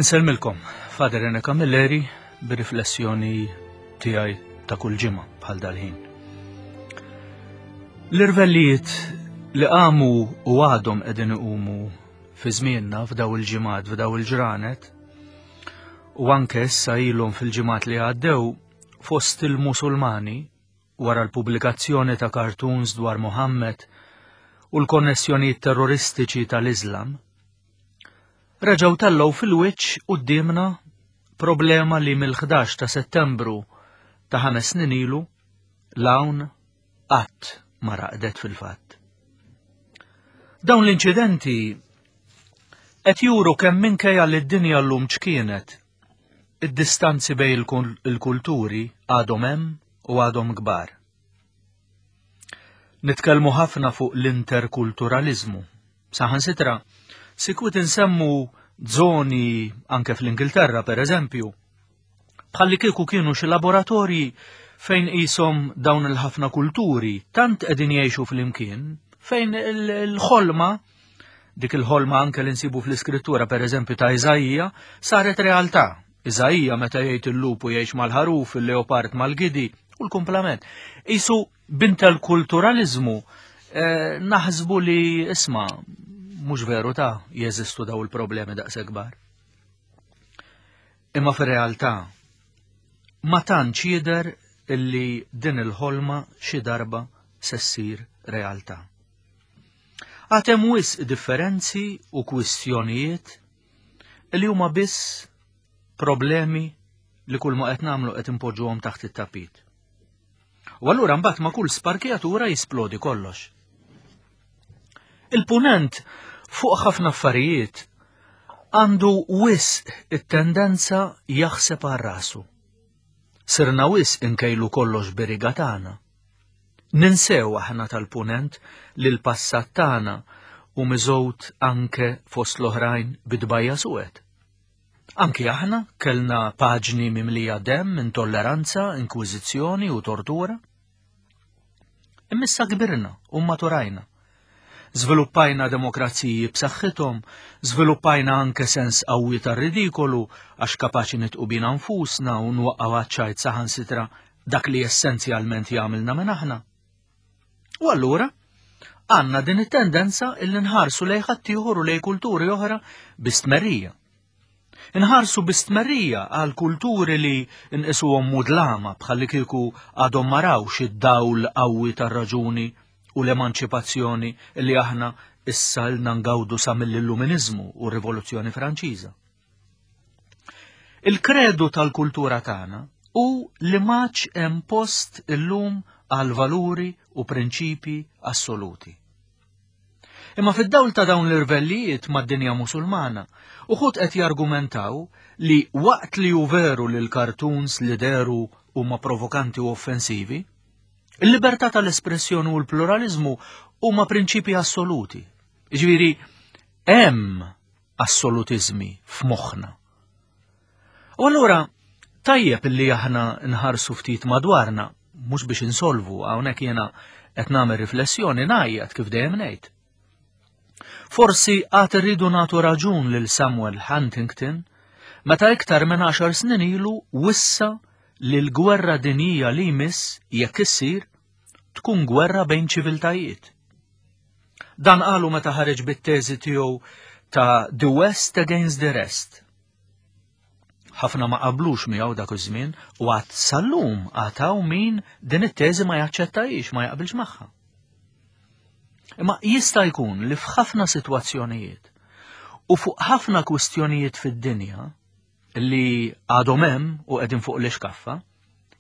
Insellmilkom, Father Rene Camilleri, bir-riflessjoni tiegħi ta' kull ġimgħa bħal dal-ħin. L-irvellijiet li qamu u għadhom qegħdin iqumu fi żmienna f'daw il-ġimgħat, f'daw il-ġranet, u anke issa ilhom fil-ġimgħat li għaddew fost il-Musulmani wara l-pubblikazzjoni ta' cartoons dwar Muhammad u l-konnessjonijiet terroristiċi tal-Iżlam, reġgħu tellgħu fil-wiċċ quddiemna problema li mill-11 ta' Settembru ta' ħames snin ilu l-hawn qatt ma raqdet fil-fatt. Dawn l-inċidenti qed juru kemm minkejja li d-dinja llum ċkienet, id-distanzi bejn il-kulturi għadhom hemm u għadhom kbar. Nitkellmu ħafna fuq l-interkulturaliżmu. Saħansitra, sikwit insemmu żoni anke fl-Ingilterra per eżempju, bħalli kieku kienu xi laboratorji fejn qishom dawn il-ħafna kulturi tant qegħdin jgħixu flimkien fejn il-ħolma dik il-ħolma anke li nsibu fl-iskrittura per eżempju ta' Iżaija saret realtà. Iżaija meta jgħid il-lupu jgħix mal-ħaruf, il-leopard mal-gidi u l-kumplament. Isu b'interkulturaliżmu eh, naħsbu li isma' mhux veru ta' jeżistu daw il-problemi daqshekk kbar. Imma fir-realtà ma tantx jidher illi din il-ħolma xi darba se ssir realtà. Għad hemm wisq differenzi u kwistjonijiet li huma biss problemi li kull ma qed nagħmlu qed impoġġuhom taħt it-tapit. U allura mbagħad ma' kull sparkjatura jisplodi kollox. Il-punent fuq ħafna affarijiet għandu wisq it-tendenza jaħseb għal rasu. Sirna wisq inkejlu kollox biriga tagħna. Ninsew aħna tal-punent li l-passat tagħna u miżgħud anke fost l-oħrajn bidbajja suwed. Anki aħna kellna paġni mimlija demm, intolleranza, inkwiżizzjoni u tortura. Imma issa kbirna u maturajna. Żviluppajna demokraziji b'saħħithom, żviluppajna anke sens qawwi tar-ridikolu għax kapaċi nitqu bina nfusna u nwaqqgħu għaċ-ċajt saħansitra dak li essenzjalment jagħmilna minn aħna. U allura għandna din it-tendenza illi nħarsu lej ħaddieħor u lej kulturi oħra bi stmerrija. Inħarsu bi stmerrija għal kulturi li nqisuhom mudlama bħalli kieku għadhom ma rawx id-dawl qawwi tar-raġuni u l-emanċipazzjoni li aħna issa lna ngawdu sa mill-Illuminiżmu u r-Rivoluzzjoni Franċiża. Il-kredu tal-kultura tagħna hu li m'għadx hemm post illum għal valuri u prinċipji assoluti. Imma fid-dawl ta' dawn l-irvellijiet mad-dinja Musulmana, uħud qed jargumentaw li waqt li hu veru li l-cartoons li dehru huma provokanti u offensivi, il-libertà tal-espressjoni u l-pluraliżmu huma prinċipji assoluti. Jiġifieri hemm assolutiżmi f'moħħna. U allura tajjeb li aħna nħarsu ftit madwarna, mhux biex insolvu, hawnhekk jiena qed nagħmel riflessjoni ngħajjat kif dejjem ngħid. Forsi għad irridu nagħtu raġun lil Samuel Huntington meta iktar minn 10 snin ilu wissa li l-gwerra dinjija li jmiss jekk issir tkun gwerra bejn ċiviltajiet. Dan qalu meta ħareġ bit-teżi tiegħu ta' The West Against the Rest. Ħafna ma qablux miegħu dak iż-żmien u għad sal-lum għad hawn min din it-teżi ma jaċċettajiex, ma jaqbilx magħha. Imma jista' jkun li f'ħafna sitwazzjonijiet u fuq ħafna kwistjonijiet fid-dinja li għadhom hemm u qegħdin fuq l-ixkaffa,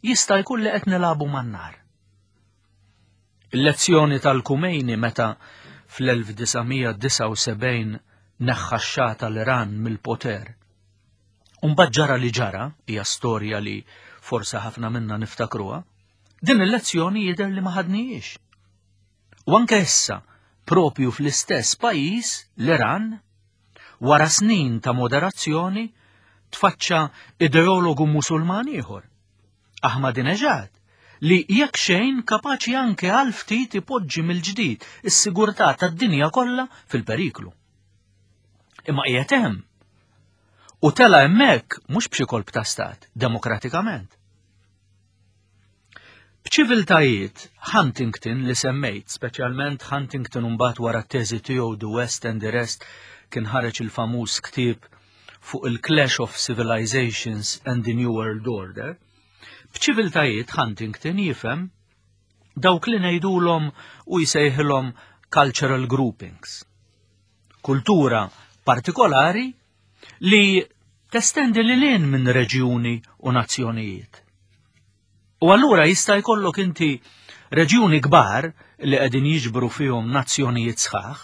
jista' jkun li qed nilagħbu man-nar. Il-lezzjoni tal-Kumejni meta fl-1979 neħħa x-Xah tal-Iran mill-poter. Umbagħad ġara li ġara, hija storja li forse ħafna minna niftakruha, din il-lezzjoni jidher li ma ħadnijiex. U anke issa, propju fl-istess pajjiż, l-Iran, wara snin ta' moderazzjoni, tfaċċa ideologu Musulman ieħor, Ahmadinejad, li jekk xejn kapaċi anke għal ftit ipoġġi mill-ġdid is-sigurtà tad-dinja kollha fil-periklu. Imma qiegħed hemm. U tela hemmhekk mhux b'xi kolp ta' stat, demokratikament. B'ċiviltajiet, Huntington li semmejt, speċjalment Huntington mbagħad wara t-teżi tiegħu The West and the Rest kien ħareġ il-famuż ktieb fuq il-Clash of Civilizations and the New World Order, b'ċiviltajiet Huntington jifhem dawk li ngħidulhom u jsejħilhom cultural groupings. Kultura partikolari li testendi lil hinn minn reġjuni u nazzjonijiet. U allura jista' jkollok inti reġjuni kbar li qegħdin jiġbru fihom nazzjonijiet sħaħ,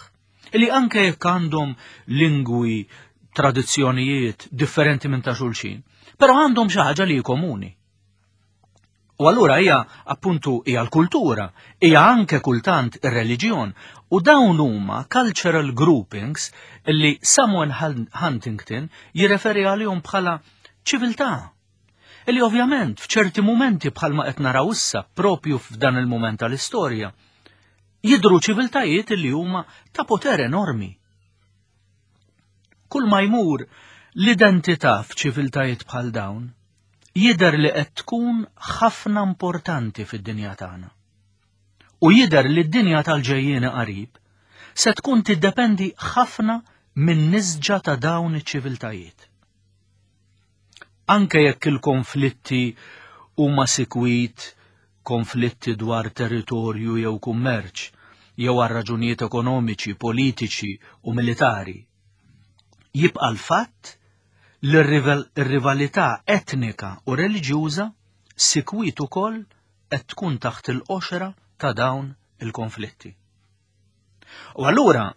li anke jekk għandhom lingwi, tradizzjonijiet differenti minn ta' xulxin, però għandhom xi ħaġa li komuni. U allura hija appuntu hija l-kultura, hija anke kultant ir-reliġjon u dawn huma cultural groupings li Samuel Huntington jirreferi għalihom bħala ċiviltà. Illi ovvjament f'ċerti mumenti bħalma qed naraw issa propju f'dan il-mument tal-istorja, jidhru ċiviltajiet li huma ta' poter enormi. Kull ma jmur l-identità f'ċiviltajiet bħal dawn jidher li qed tkun ħafna importanti fid-dinja tagħna. U jidher li d-dinja tal-ġejjieni qarib se tkun tiddependi ħafna minn nisġa ta' dawn iċ-ċiviltajiet. Anke jekk il-konflitti huma sikwit konflitti dwar territorju jew kummerċ, jew għal raġunijiet ekonomiċi, politiċi u militari. Jibqa' l-fatt li r-rivalità etnika u reliġjuża sikwit ukoll qed tkun taħt il-qoxra ta' dawn il-konflitti. U allura,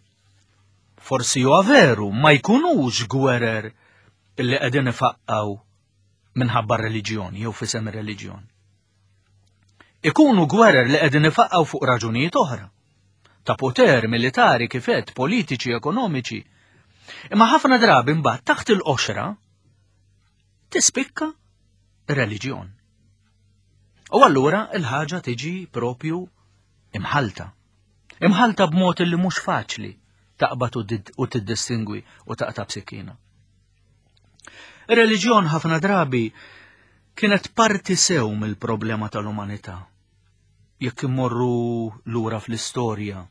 forsi huwa veru ma jkunux gwerer illi qegħdin ifaqqaw minħabba r-reliġjon jew f'isem ir-reliġjon. Ikunu gwerer li qegħdin ifaqqaw fuq raġunijiet oħra ta' poter militari kifet, politiċi, ekonomiċi. Imma ħafna drabi mbagħad taħt il-qoxra tispikka reliġjon. U allura il-ħaġa tiġi propju imħalta. Imħalta b'mod li mhux faċli taqbad u tiddistingwi u taqta' b'sikkina. Ir-reliġjon ħafna drabi kienet parti sew mill-problema tal-umanità. Jekk immorru lura fl-istorja,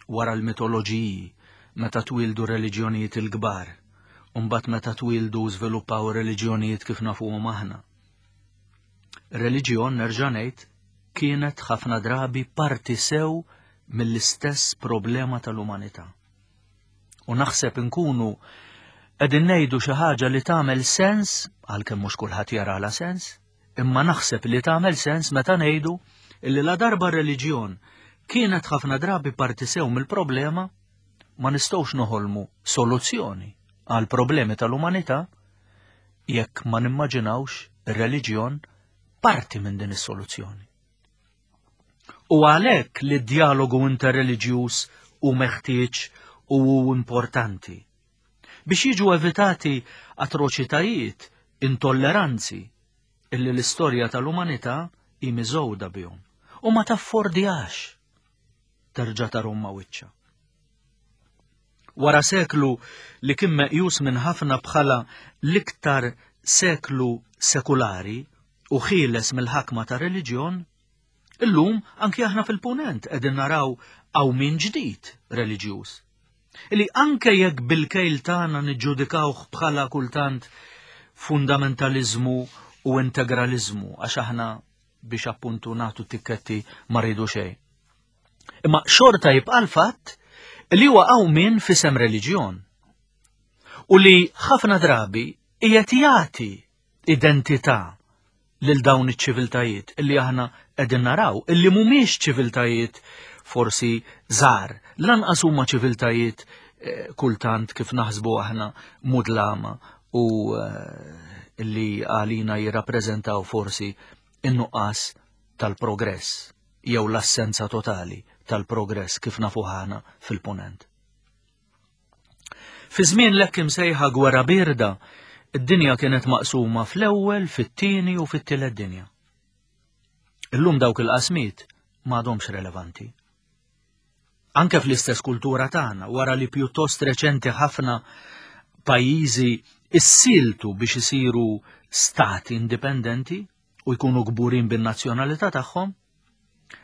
wara l-mitoloġiji, meta twildu reliġjonijiet il-kbar, u mbagħad meta twildu u żviluppaw reliġjonijiet kif nafuhom aħna. Reliġjon nerġa' ngħid kienet ħafna drabi parti sew mill-istess problema tal-umanità. U naħseb inkunu qegħdin ngħidu xi ħaġa li tagħmel sens, għalkemm mhux kulħadd jarala sens, imma naħseb li tagħmel sens meta ngħidu illi la darba reliġjon kienet ħafna drabi parti sew mill-problema, ma nistgħux noħolmu soluzzjoni għal problemi tal-umanità jekk ma nimmaġinawx ir-reliġjon parti minn din is-soluzzjoni. U għalhekk li d-djalogu interreliġjuż hu meħtieġ u hu importanti. Biex jiġu evitati atroċitajiet, intolleranzi, illi l-istorja tal-umanità hi miżgħuda bihom u ma taffordjax terġa' tarhom ma' wiċċha. Wara seklu li kien meqjus minn ħafna bħala l-iktar seklu sekulari u ħieles mill-ħakma ta' reliġjon, illum anki aħna fil-punent qegħdin naraw qawmien ġdid reliġjuż. Li anke jekk bil-kejl tagħna niġġudikawh bħala kultant fundamentaliżmu u integraliżmu għax aħna biex appuntu nagħtu tikketti ma rridu xejn. Imma xorta jibqa' l-fatt li huwa qawmien f'isem reliġjon u li ħafna drabi qiegħed jagħti identità lil dawn iċ-ċiviltajiet illi aħna qegħdin naraw illi mhumiex ċiviltajiet forsi żgħar, lanqas huma ċiviltajiet eh, kultant kif naħsbu aħna mudlama u eh, illi għalina jirrappreżentaw forsi in-nuqqas tal-progress jew l-assenza totali tal-progress kif nafu aħna fil-punent. Fi żmien l-hekk imsejħa gwerra birda, id-dinja kienet maqsuma fl-ewwel, fit-tieni u fit-tielet dinja. Illum dawk il-qasmiet m'għadhomx relevanti. Anke fl-istess kultura tagħna, wara li pjuttost reċenti ħafna pajjiżi issiltu biex isiru stati indipendenti u jkunu kburin bin-nazzjonalità tagħhom,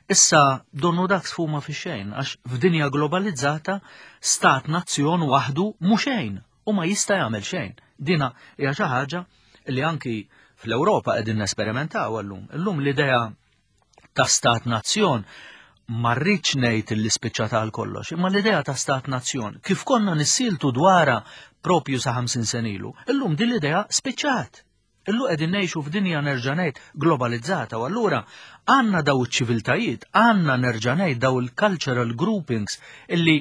Issa donnu dak sfuma fi xejn għax f'dinja globalizzata stat nazzjon waħdu mhu xejn u ma jista' jagħmel xejn. Dina hija xi ħaġa li anki fl-Ewropa qegħdin nesperimentaw llum. Illum l-idea ta' stat nazzjon ma rridx ngħid li spiċċat għal kollox, imma l-idea ta' stat nazzjon kif konna nissiltu dwarha propju sa 50 senilu, illum din l-idea spiċċat. Illu qegħdin ngħixu f'dinja nerġa' ngħid globalizzata u allura għandna daw iċ-ċiviltajiet, għandna nerġa' ngħid daw il-cultural groupings illi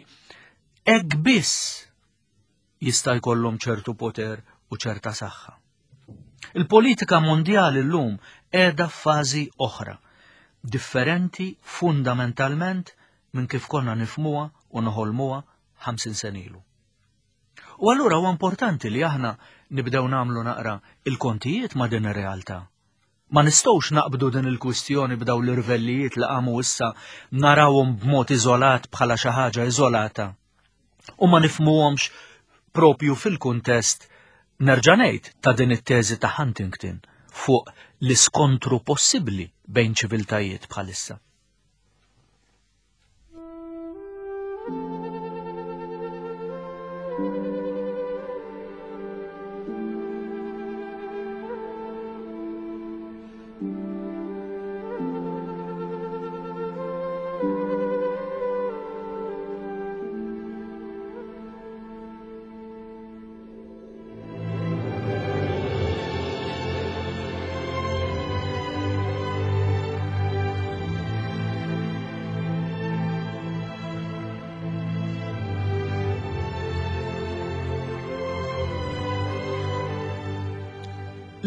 hekk biss jista' jkollhom ċertu poter u ċerta saħħa. Il-politika mondjali llum qiegħda f'fażi oħra, differenti fundamentalment minn kif konna nifmuha u noħolmuha 50 senilu. U allura huwa importanti li aħna nibdew nagħmlu naqra il-kontijiet ma' din ir-realtà. Ma nistgħux naqbdu din il-kwistjoni b'daw l-irvellijiet li qamu issa narawhom b'mod iżolat bħala xi ħaġa iżolata u ma nifmuhomx propju fil-kuntest nerġa' ngħid ta' din it-teżi ta' Huntington fuq l-iskontru possibbli bejn ċiviltajiet bħalissa.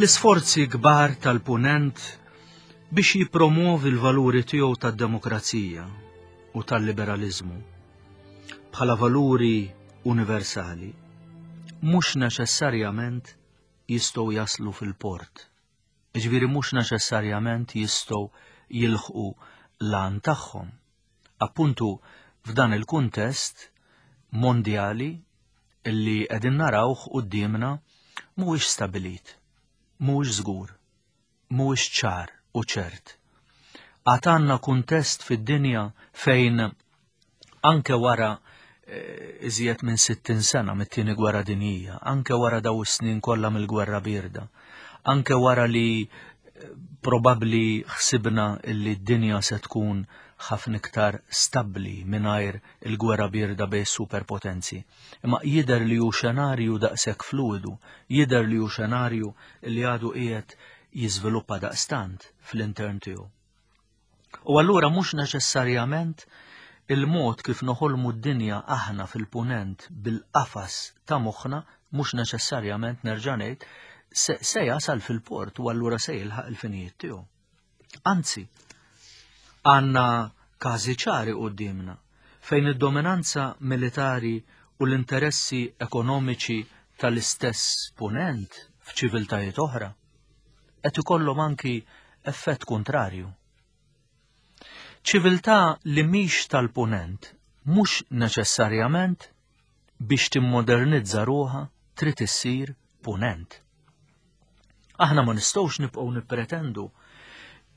L-isforzi kbar tal-Punent biex jippromovi l-valuri tiegħu tad-demokrazija u tal-liberaliżmu bħala valuri universali mhux neċessarjament jistgħu jaslu fil-port. Jiġifieri mhux neċessarjament jistgħu jilħqu l-għan tagħhom. Appuntu f'dan il-kuntest mondjali li qegħdin narawh quddiemna mhuwiex stabilit, mhuwiex żgur, mhuwiex ċar u ċert. Għad għandna kuntest fid-dinja fejn anke wara eh, iżjed minn 60 sena mit-tieni gwerra dinjija, anke wara daw is-snin kollha mill-gwerra birda, anke wara li eh, probabbli ħsibna illi d-dinja se tkun ħafna iktar stabbli mingħajr il-gwerra birda bej superpotenzi. Imma jidher li hu xenarju daqshekk fluidu, jidher li hu xenarju li għadu qiegħed jiżviluppa daqstant fl-intern tiegħu. U allura mhux neċessarjament il-mod kif noħolmu d-dinja aħna fil-punent bil-qafas ta' moħħna mhux neċessarjament nerġa' ngħid se, se jasal fil-port u allura se jilħaq il-finijiet tiegħu. Anzi, għandna każi ċari qudiemna fejn id-dominanza militari u l-interessi ekonomiċi tal-istess punent f'ċiviltajiet oħra qed ikollhom anki effett kuntrarju. Ċiviltà li mhix tal-punent mhux neċessarjament biex timmodernizza ruħha trid issir punent. Aħna ma nistgħux nibqgħu nippretendu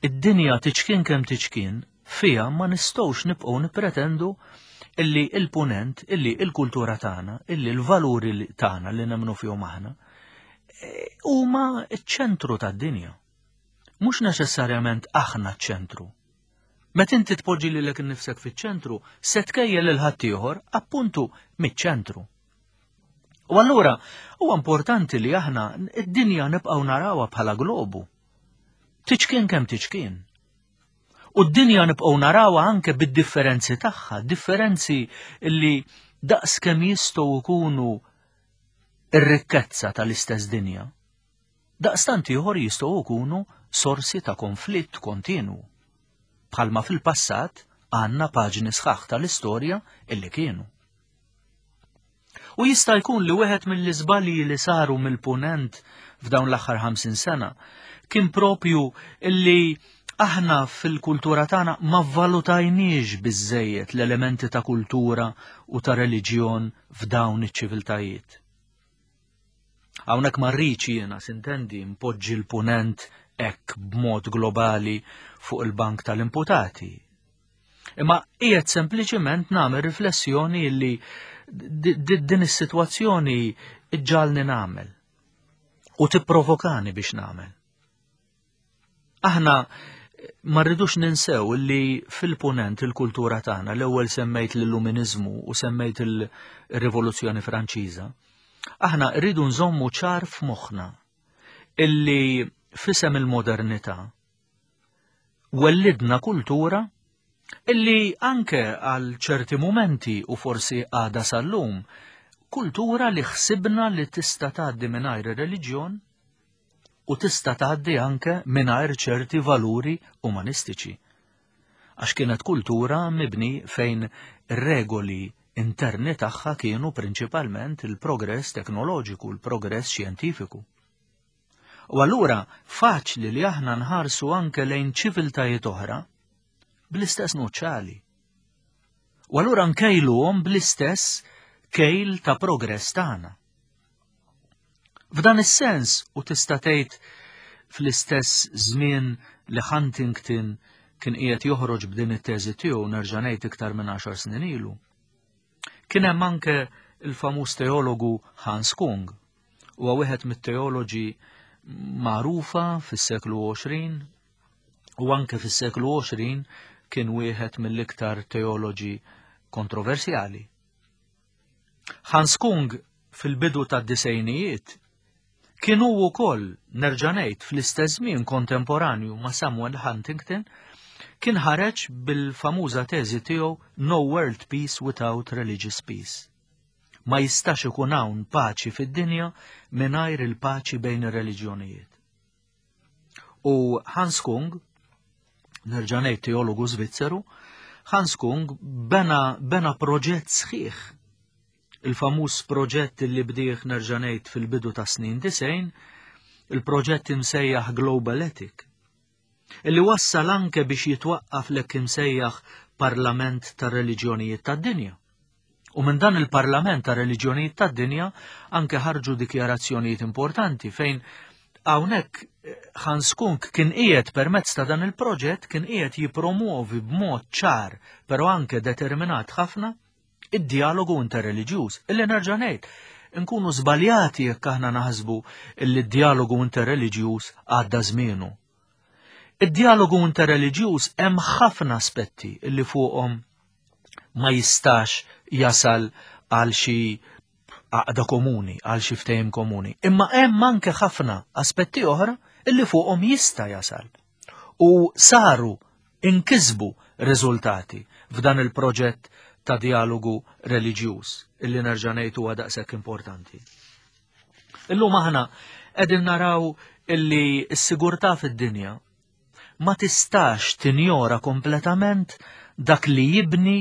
id-dinja tiċkien kemm tiċkien fiha ma nistgħux nibqgħu nippretendu illi il-punent, illi il-kultura tagħna, illi l-valuri tagħna li nemmnu fihom aħna, huma ċ-ċentru tad-dinja. Mhux neċessarjament aħna ċ-ċentru. Meta inti tpoġġi lilek innifsek fiċ-ċentru, se tkejjel lil ħaddieħor appuntu miċ-ċentru. U allura huwa importanti li aħna id-dinja nibqgħu narawha bħala globu. Tiċkien kemm tiċkien. U d-dinja nibqgħu narawha anke bid-differenzi tagħha, differenzi li daqs kemm jistgħu jkunu ir-rikkezza tal-istess dinja. Daqstant ieħor jistgħu jkunu sorsi ta' konflitt kontinwu. Bħalma fil-passat għandna paġni sħaħ tal-istorja illi kienu. U jista' jkun li wieħed mill-iżbalji li saru mill-punent f'dawn l-aħħar 50 sena kien propju illi aħna fil-kultura tagħna ma vvalutajniex biżejjed l-elementi ta' kultura u ta' reliġjon f'dawn iċ-ċiviltajiet. Hawnhekk ma rridx jiena sintendi npoġġi l-punent hekk b'mod globali fuq il-bank tal-imputati. Imma qiegħed sempliċiment nagħmel riflessjoni li din is-sitwazzjoni iġġalni nagħmel u tipprovokani biex nagħmel. Aħna ma rridux ninsew li fil-punent il-kultura tagħna l-ewwel semmejt l-illuminizmu u semmejt il-Rivoluzzjoni Franċiża. Aħna rridu nżommu ċar f'moħħna illi fisem il-modernità wellidna kultura illi anke għal ċerti mumenti u forsi għada sal-lum, kultura li ħsibna li tista' tgħaddi mingħajr ir-reliġjon u tista' tgħaddi anke mingħajr ċerti valuri umanistiċi. Għax kienet kultura mibni fejn regoli interni tagħha kienu prinċipalment il-progress teknoloġiku, il-progress xjentifiku. U allura faċli li aħna nħarsu anke lejn ċiviltajiet oħra bl-istess nuċċali. U allura nkejluhom bl-istess kejl ta' progress tagħna. F'dan is-sens u tista' tgħid fl-istess żmien li Huntington kien qiegħed joħroġ b'din it-teżi tiegħu nerġa' ngħid iktar minn 10 snin ilu. Kien hemm anke il-famuż teologu Hans Kung. Huwa wieħed mit-teoloġi magħrufa fis-seklu 20 u anke fis-seklu 20 kien wieħed mill-iktar teoloġi kontroversjali. Hans Kung fil-bidu tad-disejnijiet kien hu wkoll nerġa' ngħid fl-istess żmien kontemporanju ma' Samuel Huntington kien ħareġ bil-famuża teżi tiegħu No World Peace Without Religious Peace. Ma jistax ikun hawn paċi fid-dinja mingħajr il-paċi bejn ir-reliġjonijiet. U Hans Kung, nerġa' ngħid teologu Svizzeru, Hans Kung bena, bena proġett sħiħ. Il-famuż proġett li bdieħ nerġa' ngħid fil-bidu ta' snin disejn, il-proġett imsejjaħ Global Ethic, illi wassal anke biex jitwaqqaf lek imsejjaħ Parlament tar-Reliġjonijiet tad-Dinja. U minn dan il-Parlament ta' Reliġjonijiet tad-Dinja anke ħarġu dikjarazzjonijiet importanti fejn hawnhekk eh, Hans Kunk kien qiegħed permezz ta' dan il-proġett kien qiegħed jipromuovi b'mod ċar, però anke determinat ħafna id-dialogu interreliġjuż. Illi nerġa' ngħid, nkunu żbaljati jekk aħna naħsbu illi d-dialogu interreliġjuż għadda żmienu. Id-dialogu interreliġjuż hemm ħafna aspetti illi fuqhom ma jistax jasal għal xi għaqda komuni, għal xi ftehim komuni. Imma hemm anke ħafna aspetti oħra illi fuqhom jista' jasal. U saru inkisbu riżultati f'dan il-proġett ta' dialogu reliġjuż illi nerġa' ngħid huwa daqshekk importanti. Illum aħna qegħdin naraw illi s-sigurtà fid-dinja ma tistax tinjora kompletament dak li jibni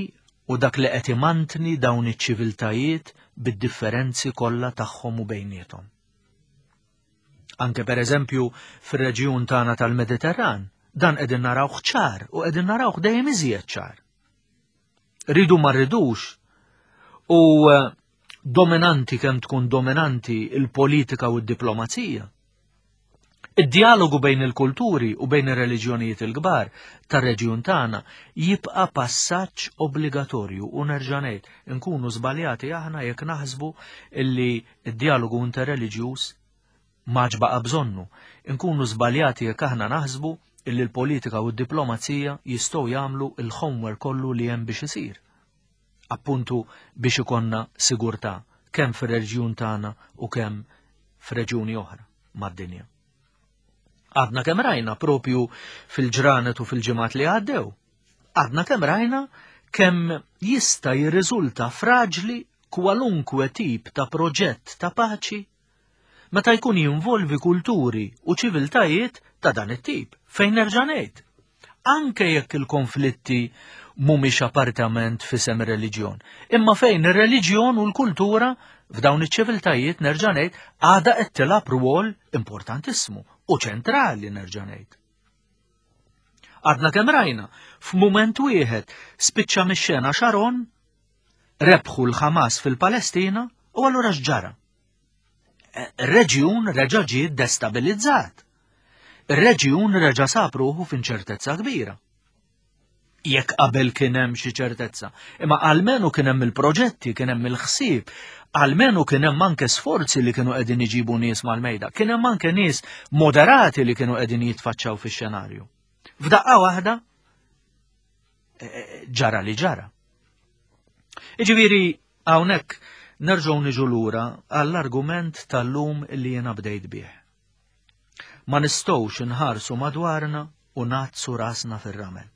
u dak li qed imantni dawn iċ-ċiviltajiet bid-differenzi kollha tagħhom u bejniethom. Anke per eżempju fir-reġjun tagħna tal-Mediterran, dan qegħdin narawh ċar u qegħdin narawh dejjem iżjed ċar. Ridu ma rridux u eh, dominanti kemm tkun dominanti il-politika u d-diplomazija. Id-dialogu bejn il-kulturi u bejn ir-reliġjonijiet il-kbar tar-reġjun tagħna jibqa' passaġġ obbligatorju u nerġa' ngħid inkunu żbaljati aħna jekk naħsbu illi d-dialogu interreliġjuż m'għadx baqa' bżonnu. Inkunu żbaljati jekk aħna naħsbu illi l-politika u d-diplomazija jistgħu jagħmlu l-homework kollu li hemm biex isir. Appuntu biex ikonna sigurtà kemm fir-reġjun tagħna u kemm f'reġjuni oħra mad-dinja. Għadna kemm rajna propju fil-ġranet u fil-ġimgħat li għaddew. Għadna kemm rajna kemm jista' jirriżulta fraġli kwalunkwe tip ta' proġett ta' paċi meta jkun jinvolvi kulturi u ċiviltajiet ta' dan it-tip, fejn nerġa' ngħid. Anke jekk il-konflitti mhumiex appartament f'isem ir-reliġjon, imma fejn ir-reliġjon u l-kultura f'dawn iċ-ċiviltajiet nerġa' ngħid għadha qed tilgħab rwol importantissimu u ċentrali nerġa' ngħid. Għadna kemm rajna, f'mument wieħed spiċċa mix-xena Sharon, rebħu l-Ħamas fil-Palestina u allura x'ġara? Reġjun reġa' ġie destabilizzat. Ir-reġjun reġa' sab ruħu f'inċertezza kbira. Jekk qabel kien hemm xi ċertezza, imma almenu kien hemm il-proġetti, kien hemm il-ħsieb, almenu kien hemm anke sforzi li kienu qegħdin iġibu nies mal-mejda, kien hemm anke nies moderati li kienu qegħdin jitfaċċaw fix-xenarju. F'daqqa waħda eh, eh, ġara li ġara. Iġifieri hawnhekk nerġgħu niġu lura għall-argument tal-lum li jiena bdejt bih. Ma nistgħux inħarsu madwarna u ngħaddsu rasna fir-ramel.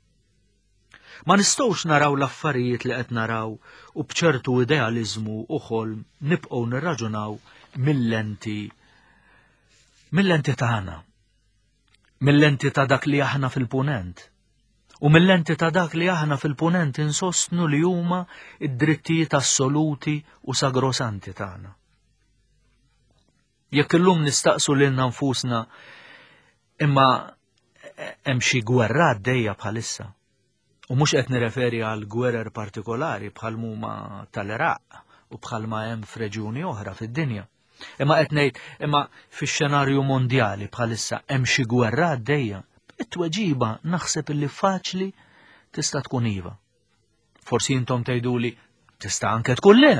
Ma nistgħux naraw l-affarijiet li qed naraw u b'ċertu idealiżmu u ħolm nibqgħu nirraġunaw mill-lenti mill-lenti tagħna, mill-lenti ta' dak li aħna fil-punent u mill-lenti ta' dak li aħna fil-punent insostnu li huma id-drittijiet assoluti u sagrosanti tagħna. Jekk illum nistaqsu lilna nfusna imma hemm xi gwerra għaddejja bħalissa. U mhux qed nireferi għal gwerer partikolari bħal huma tal-Iraq u bħalma hemm f'reġjuni oħra fid-dinja. Imma qed ngħid imma fix-xenarju mondjali bħalissa hemm xi gwerra għaddejja. It-tweġiba naħseb illi faċli tista' tkun iva. Forsi intom tgħiduli tista' anke tkun le,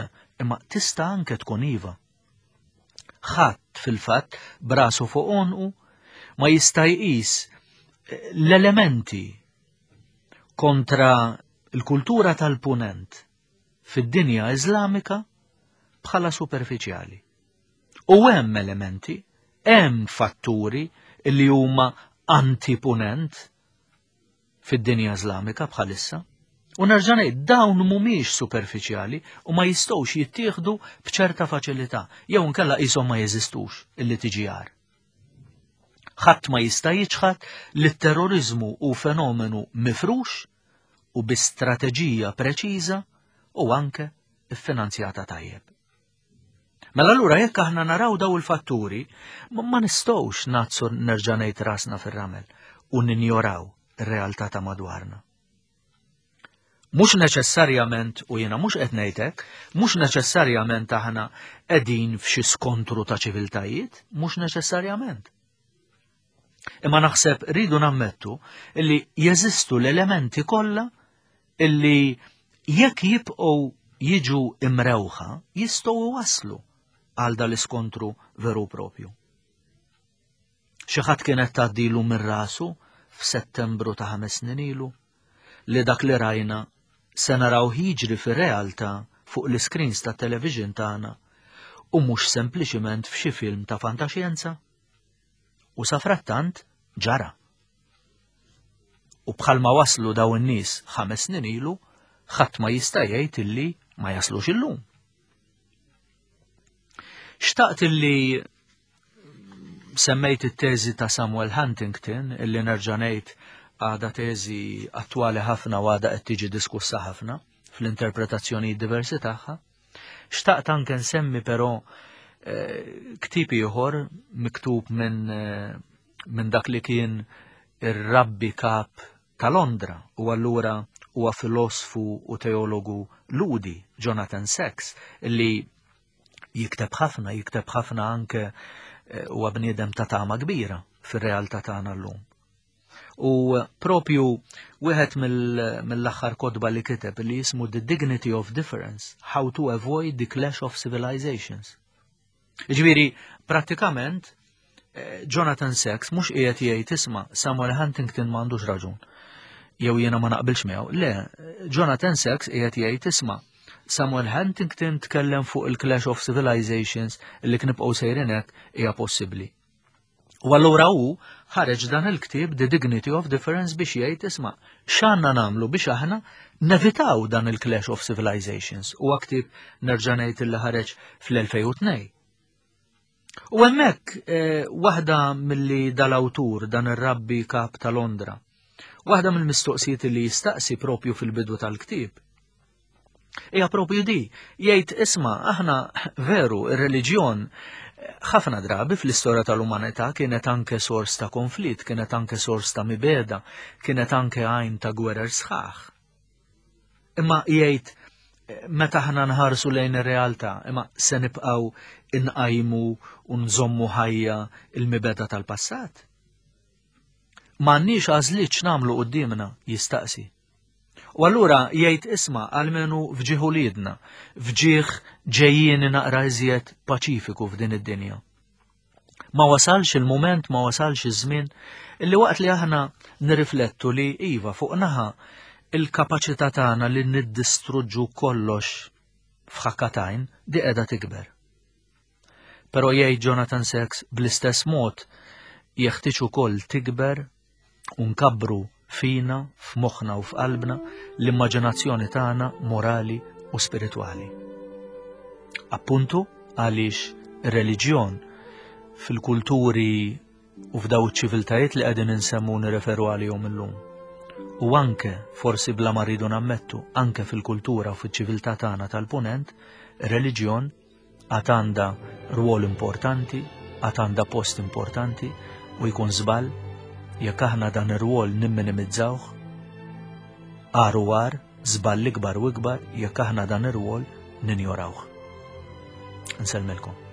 imma tista' anke tkun iva. Ħadd fil-fatt brasu fuq onqu ma jista' jqis eh, l-elementi kontra l-kultura tal-punent fid-dinja Iżlamika bħala superfiċjali. U hemm elementi, hemm fatturi li huma antipunent fid-dinja Iżlamika bħalissa. U nerġa' ngħid dawn mhumiex superfiċjali u ma jistgħux jittieħdu b'ċerta faċilità jew inkella qishom ma jeżistux illi tiġi għar. Ħadd ma jista' jiċħad li t-terroriżmu hu fenomenu mifrux u bi strateġija preċiża u anke ffinanzjata tajjeb. Mela allura jekk aħna naraw daw il-fatturi, ma nistgħux nazzu nerġa' ngħid rasna fir-ramel u ninjoraw ir-realtà ta' madwarna. Mhux neċessarjament, u jiena mhux qed ngħidlek, mhux neċessarjament aħna qegħdin f'xi skontru ta' ċiviltajiet, mhux neċessarjament. Imma naħseb rridu nammettu illi jeżistu l-elementi kollha illi jekk jibqgħu jiġu imrewħa jistgħu iwasslu għal dal-iskontru veru propju. Xi ħadd kienet tgħaddilu minn rasu f'Settembru ta' ħames snin ilu li dak li rajna se naraw jiġri fir-realtà fuq l-iscreens ta' television tagħna u mhux sempliċiment f'xi film ta' fantaxjenza? U safrattant ġara. U bħalma waslu daw in-nies ħames snin ilu, ħadd ma jista' jgħid illi ma jaslux illum. Xtaqt illi semmejt it-teżi ta' Samuel Huntington illi nerġa' ngħid għadha teżi attwali ħafna u għadha qed tiġi diskussa ħafna fl-interpretazzjoni diversi tagħha. Xtaqt anke nsemmi però eh, ktieb ieħor miktub minn eh, min dak li kien ir-rabbi kap ta' Londra u allura huwa filosfu u teologu Ludi, Jonathan Sacks, li jikteb ħafna, jikteb ħafna anke eh, huwa bniedem ta' tama kbira fir-realtà tagħna llum. U propju wieħed mill-aħħar kotba li kiteb li jismu The Dignity of Difference, How to Avoid the Clash of Civilizations. Ġifieri, prattikament, eh, Jonathan Sacks mhux qiegħed jgħid isma' Samuel Huntington m'għandux raġun. Jew jiena ma naqbilx miegħu. Le, Jonathan Sacks qiegħed jgħid isma' Samuel Huntington tkellem fuq il-Clash of Civilizations li knibqgħu sejrin hekk hija possibbli. U allura hu ħareġ dan il-ktieb The Dignity of Difference biex jgħid isma' x'għandna nagħmlu biex aħna nevitaw dan il-Clash of Civilizations. Huwa ktieb nerġa' ngħid li ħareġ fl-2002. U hemmhekk eh, waħda milli dal-awtur dan ir-rabbi kap ta' Londra, waħda mill-mistoqsijiet li jistaqsi propju fil-bidu tal-ktieb Hija propju di, jgħid isma' aħna veru ir-reliġjon ħafna drabi fl-istorja tal-umanità kienet anke sors ta' konflitt, kienet anke sors ta' mibeda, kienet anke għajn ta' gwerer sħaħ. Imma jgħid meta aħna nħarsu lejn ir-realtà, imma se nibqgħu inqajmu u nżommu ħajja il-mibeda tal-passat. M'għandniex għażliet x'nagħmlu quddiemna, jistaqsi. U allura jgħid isma' almenu f'ġieħ uliedna, f'ġieħ ġejjieni naqra iżjed paċifiku f'din id-dinja. Ma wasalx il-mument, ma wasalx iż-żmien illi waqt li aħna nirriflettu li iva fuq naħa il-kapaċità tagħna li niddistruġġu kollox f'ħakkatajn di qiegħda tikber. Però jgħid Jonathan Sacks bl-istess mod jeħtieġ ukoll tikber u nkabbru fina, f'moħħna u f'qalbna l-immaġinazzjoni tagħna morali u spiritwali. Appuntu għaliex ir-reliġjon fil-kulturi u f'daw iċ-ċiviltajiet li qegħdin insemmu nirreferu għalihom illum. U anke, forsi bla ma rridu nammettu, anke fil-kultura u fiċ-ċiviltà tagħna tal-punent, ir-reliġjon għad għandha rwol importanti, għad għandha post importanti u jkun żball jekk aħna dan ir-rwol nimminimizzawh. Għar u għar, żball ikbar u ikbar jekk aħna dan ir-rwol ninjorawh. Nsellmilkom.